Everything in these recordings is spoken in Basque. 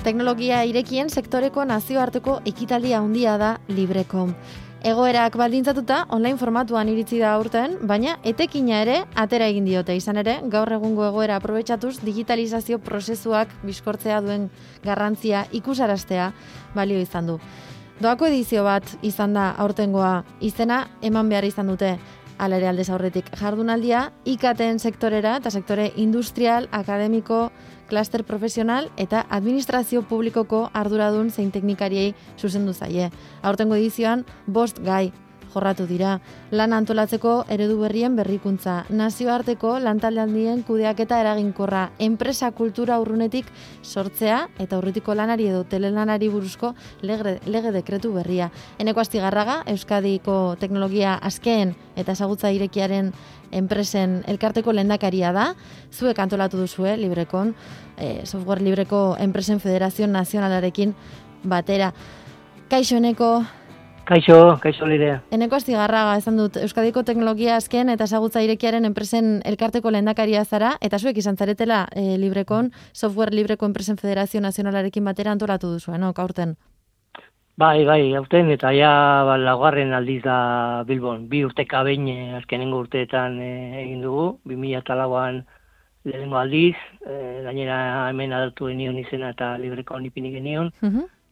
Teknologia irekien sektoreko nazioarteko ekitaldia handia da LibreCon. Egoerak baldintzatuta online formatuan iritsi da aurten, baina etekina ere atera egin diote. Izan ere, gaur egungo egoera aprobetxatuz digitalizazio prozesuak bizkortzea duen garrantzia ikusaraztea balio izan du. Doako edizio bat izan da aurtengoa, izena eman behar izan dute. Hala ere aldez aurretik jardunaldia, IKT-en sektorera eta sektore industrial, akademiko, klaster profesional eta administrazio publikoko arduradun zein teknikariei zuzendu zaie. Aurtengo edizioan 5 gai jorratu dira. Lan antolatzeko eredu berrien berrikuntza, nazioarteko lantalde handien kudeaketa eraginkorra, enpresa kultura urrunetik sortzea eta urritiko lanari edo telelanari buruzko lege dekretu berria. Eneko Astigarraga, Euskadiko teknologia askeen eta ezagutza irekiaren enpresen elkarteko lehendakaria da. Zuek antolatu duzue LibreCon, software libreko enpresen federazio nazionalarekin batera. Kaixo, Eneko. Kaixo Lirea. Eneko Astigarraga, esan dut, Euskadiko teknologia azken eta ezagutza irekiaren enpresen elkarteko lehendakaria zara, eta zuek izan zaretela LibreCon, software libreko enpresen federazio nazionalarekin batera antolatu duzuen, no, aurten? Bai, aurten, eta ja laugarren aldiz da Bilbon. 2 urteka behin azkenengo urteetan egin dugu, 2004an lehenengo aldiz, gainera hemen adatu genion izena eta LibreCon ipini genion.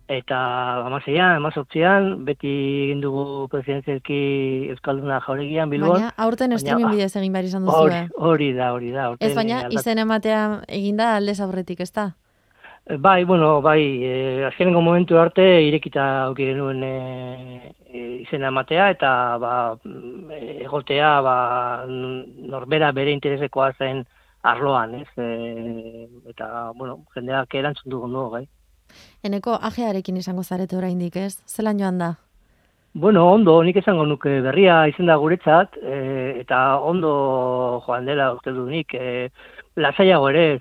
Eta 18an, beti egin dugu presidenzialki Euskalduna Jauregian Bilbon. Baina, aurten streaming bidez egin behar izan duzu. Hori da. Ez baina, izen ematea egin da aldez aurretik, ez da? Bai, azkenengo momentu arte irekita auki genuen izena ematea, eta egotea norbera bere interesekoa zen arloan, ez? Eta, jendeak erantzun dugu nuo, gai. Eneko, ajearekin izango zarete oraindik, ez? Zelan joan da? Ondo, nik esango nuke berria izan da guretzat, eta ondo joan dela uste du nik. Lasaiago ere,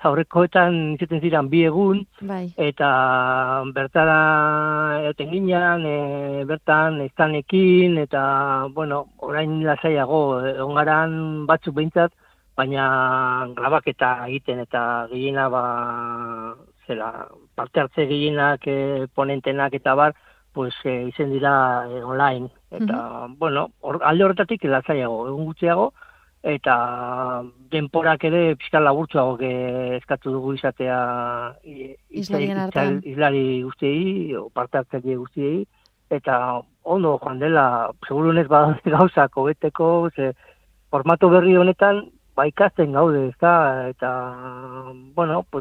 aurrekoetan izaten ziren 2 egun, bai. Eta bertara egoten ginean, bertan estanekin, eta, orain lasaiago, ongaran batzuk behintzat, baina grabaketa egiten, eta gehiena parte hartze gehienak, ponentenak eta bar, izen dira online. Eta, alde horretatik lasaiago, egun gutxiago, eta denporak ere pixka laburtsuago eskatu dugu izatea izlari guztiei, parte hartzaile guztiei, eta ondo joan dela, segurunez badaude gauzak hobeteko, formato berri honetan, ikasten gaude, ez da, eta,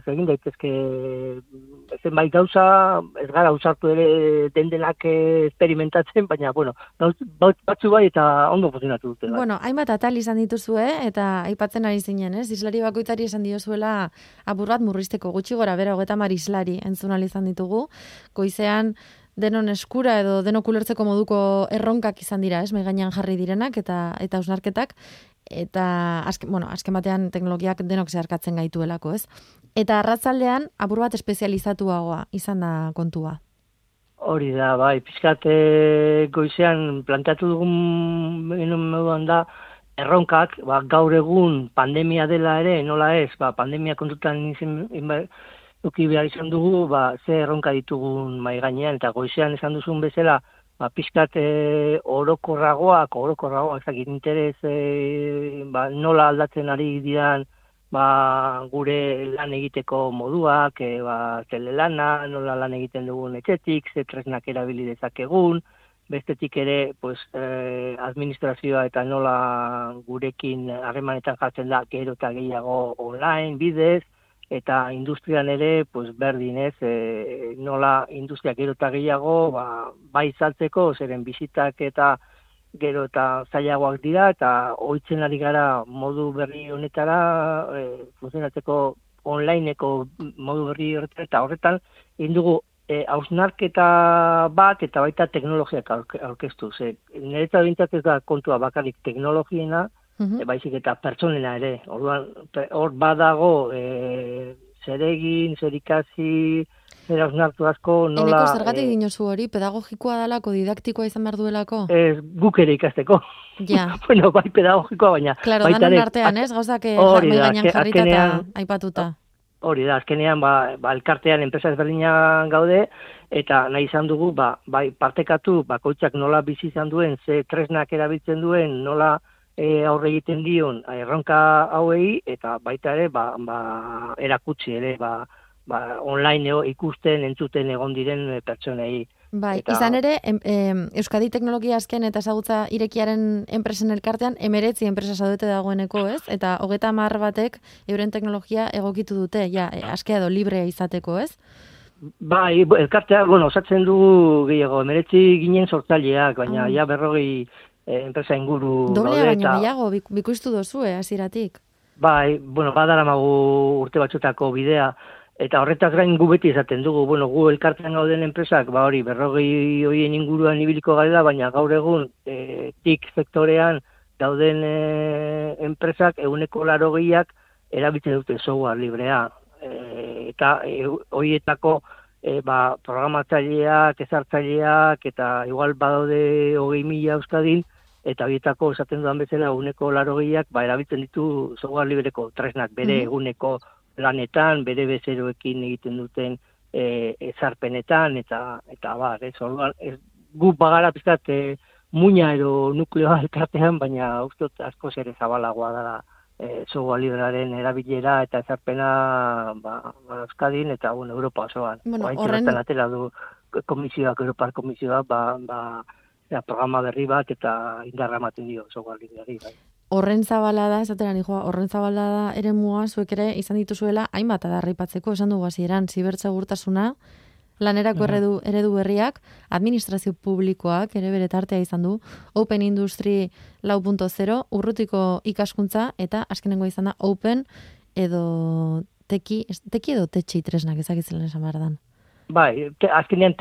egin daitezke zenbait gauza, ez gara usartu ere dendenak experimentatzen, baina, batzu bai eta ondo funtzionatu dute. Bai. Hainbat atal izan dituzue, eta aipatzen ari zinen, ez? Islari bakoitzari esan diozuela apur bat murrizteko, gutxi gora bera 30 islari entzun ahal izan ditugu, goizean denon eskura edo denok ulertzeko moduko erronkak izan dira, ez? Mai gainean jarri direnak eta hausnarketak, eta azken batean teknologiak denok zeharkatzen gaituelako, ez? Eta arratzaldean apur bat espezializatuagoa izan da kontua. Hori da, bai, pixkat goizean planteatu dugun moduan da, erronkak, gaur egun pandemia dela ere, nola ez, pandemia kontutan uki behar izan dugu, ze erronka ditugun mai gainean, eta goizean esan duzun bezala, pixkat orokorragoak, ezakit interes nola aldatzen ari diran gure lan egiteko moduak, telelana, nola lan egiten dugun etxetik, ze tresnak erabili dezakegun, bestetik ere administrazioa eta nola gurekin harremanetan jartzen da gero eta gehiago online bidez, eta industrian ere, berdin ez, nola industria gero eta gehiago, bai saltzeko, zeren bizitak eta gero eta zailagoak dira, eta ohitzen ari gara modu berri honetara, funtzionatzeko onlineko modu berri horretara, eta horretan, indugu, hausnarketa bat, eta baita teknologiak aurkeztu. Niretzat bintzat ez da kontua bakarrik teknologiena, baizik eta pertsonena ere. Orduan, hor badago zer egin, zer ikasi, zer hausnartu asko, nola... Eneko zergatik dinozu hori, pedagogikoa dalako, didaktikoa izan behar duelako? Guk ere ikasteko. Ja. Bai pedagogikoa, baina... Claro, danon artean, ez? Gauzak gainean jarrita eta aipatuta. Hori da, azkenean, elkartean enpresa ezberdinak gaude, eta nahi izan dugu, bai partekatu, bakoitzak nola bizi izan duen, ze tresnak erabiltzen duen, nola aurre egiten dion erronka hauei, eta baita ere, erakutsi ere, online ikusten, entzuten egon diren pertsonei. Bai, izan ere, Euskadi Teknologia Azken eta Ezagutza Irekiaren enpresen elkartean 19 enpresa zaudete dagoeneko, ez? Eta 30 batek euren teknologia egokitu dute, askea edo librea izateko, ez? Bai, elkartea, osatzen dugu gehiago, 19 ginen sortzaileak, baina 40 enpresa inguru doblea baino gehiago, bikoiztu dozue, hasieratik. Bai, badaramagu urte batzutako bidea, eta horretaz gain gu beti esaten dugu, gu elkartean gauden enpresak, 40 horien inguruan ibiliko garela, baina gaur egun TIC sektorean dauden enpresak 80% erabiltzen dute software librea. Eta horietako programatzaileak, ezartzaileak, eta igual badaude 20.000 Euskadin, eta horietako esaten dudan bezala 80% erabiltzen ditu software libreko tresnak bere eguneko lanetan, bere bezeroekin egiten duten ezarpenetan, eta orduan, gu bagara pizkat muina edo nukleoa elkartean, baina ustot askoz ere zabalagoa dara software librearen erabilera eta ezarpena Euskadin eta Europa osoan. Horren atera du komisioak, Europar komisioak, programa berri bat eta indarra ematen dio software libreari. Horren zabalada, esatera nijoa, horren zabalada ere mua, zuek ere izan dituzuela hainbat adarripatzeko, esan dugu hasieran, zibertsegurtasuna, lanerako eredu berriak, administrazio publikoak ere bere tartea izan du, Open Industry 4.0, urrutiko ikaskuntza, eta azkenengo izan da Open edo teki edo tetxi tresnak ezakitzelen esan behar dan. Bai, azkenean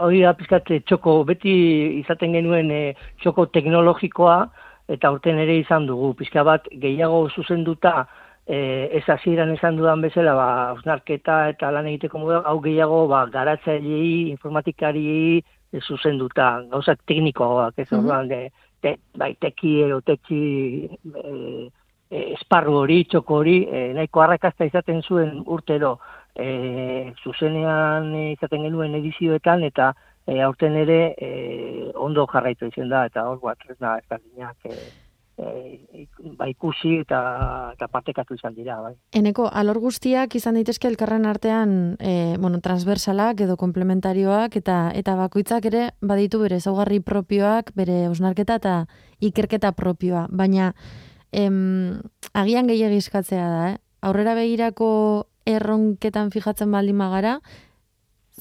hori da pizkat txoko, beti izaten genuen txoko teknologikoa, eta urten ere izan dugu, pizka bat gehiago zuzenduta, ez hasieran esan dudan bezala, hausnarketa eta lan egiteko modu, hau gehiago garatzailei, informatikariei zuzenduta, gauzak teknikoak, ez orduan, teki edo tetxi esparru hori, txoko hori, nahiko arrakasta izaten zuen urtero, zuzenean izaten genuen edizioetan, eta aurten ere ondo jarraitu izan da, eta hor tresna ezberdinak ikusi eta partekatu izan dira. Bai. Eneko, alor guztiak izan daitezke elkarren artean transversalak edo komplementarioak eta bakoitzak ere baditu bere ezaugarri propioak, bere hausnarketa eta ikerketa propioa, baina agian gehiegi eskatzea da, aurrera begirako erronketan fijatzen baldin magara,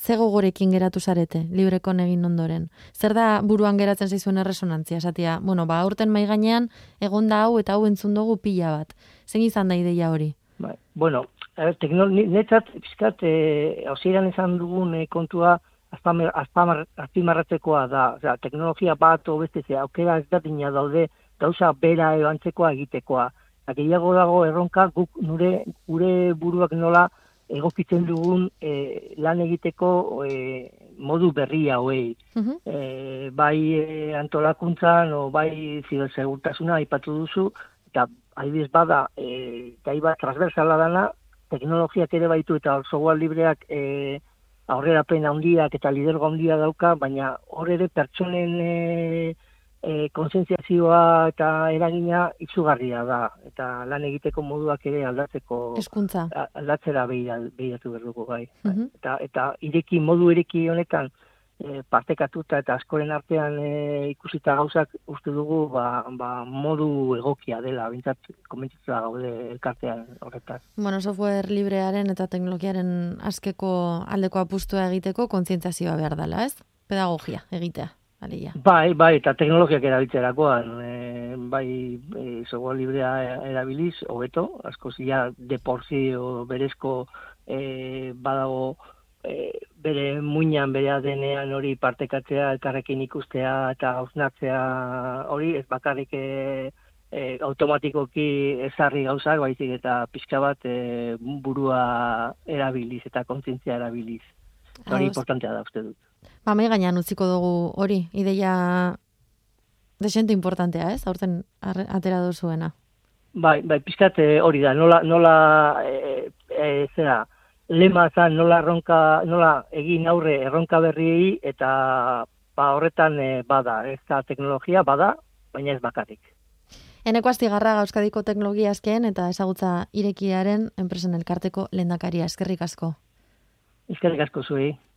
ze gogorekin geratu zarete, Librekon egin ondoren? Zer da buruan geratzen zaizuen erresonantzia? Esatia, aurten mai gainean egon da hau eta hau entzun dugu pila bat. Zein izan da ideia hori? Bai, netzat, pizkat, hasieran esan dugun kontua azpimarratzekoa da, teknologia bat beste aukera ezberdina daude gauza bera edo antzekoa egitekoa. Gehiago dago erronka guk gure buruak nola egokitzen dugun lan egiteko modu berria hauei. Bai antolakuntzan o bai zibersegurtasuna aipatu duzu, eta adibidez bada gai bat transversala dana, teknologiak ere baitu eta software libreak aurrerapen handiak eta lidergo handia dauka, baina hor ere pertsonen kontzientziazioa eta eragina izugarria da, eta lan egiteko moduak ere aldatzera behiratu behar dugu bai. Eta modu ireki honetan partekatuta eta askoren artean ikusita gauzak uste dugu modu egokia dela, bintzat komentzitua gaude elkartean horretaz. Software librearen eta teknologiaren azkeko aldeko apustua egiteko kontzientziazioa behar dela, ez? Pedagogia egitea. Bai, eta teknologiak erabiltzerakoan, software librea erabiliz, hobeto, askoz de por sí o berezko badago bere muinan, bere ADN-ean hori partekatzea, elkarrekin ikustea eta hausnartzea hori, ez bakarrik automatikoki ezarri gauzak, baizik eta pixka bat burua erabiliz eta kontzientzia erabiliz. Hori importantea da, uste dut. Mai gainean utziko dugu hori, ideia desente importantea, ez? Aurten atera duzuena. Bai, pizkat hori da, nola lema zan nola egin aurre erronka berriei, eta horretan bada, ez da teknologia bada, baina ez bakarrik. Eneko Astigarraga Euskadiko teknologia azken eta ezagutza irekiaren enpresen elkarteko lehendakaria. Eskerrik asko. Eskerrik asko zuei.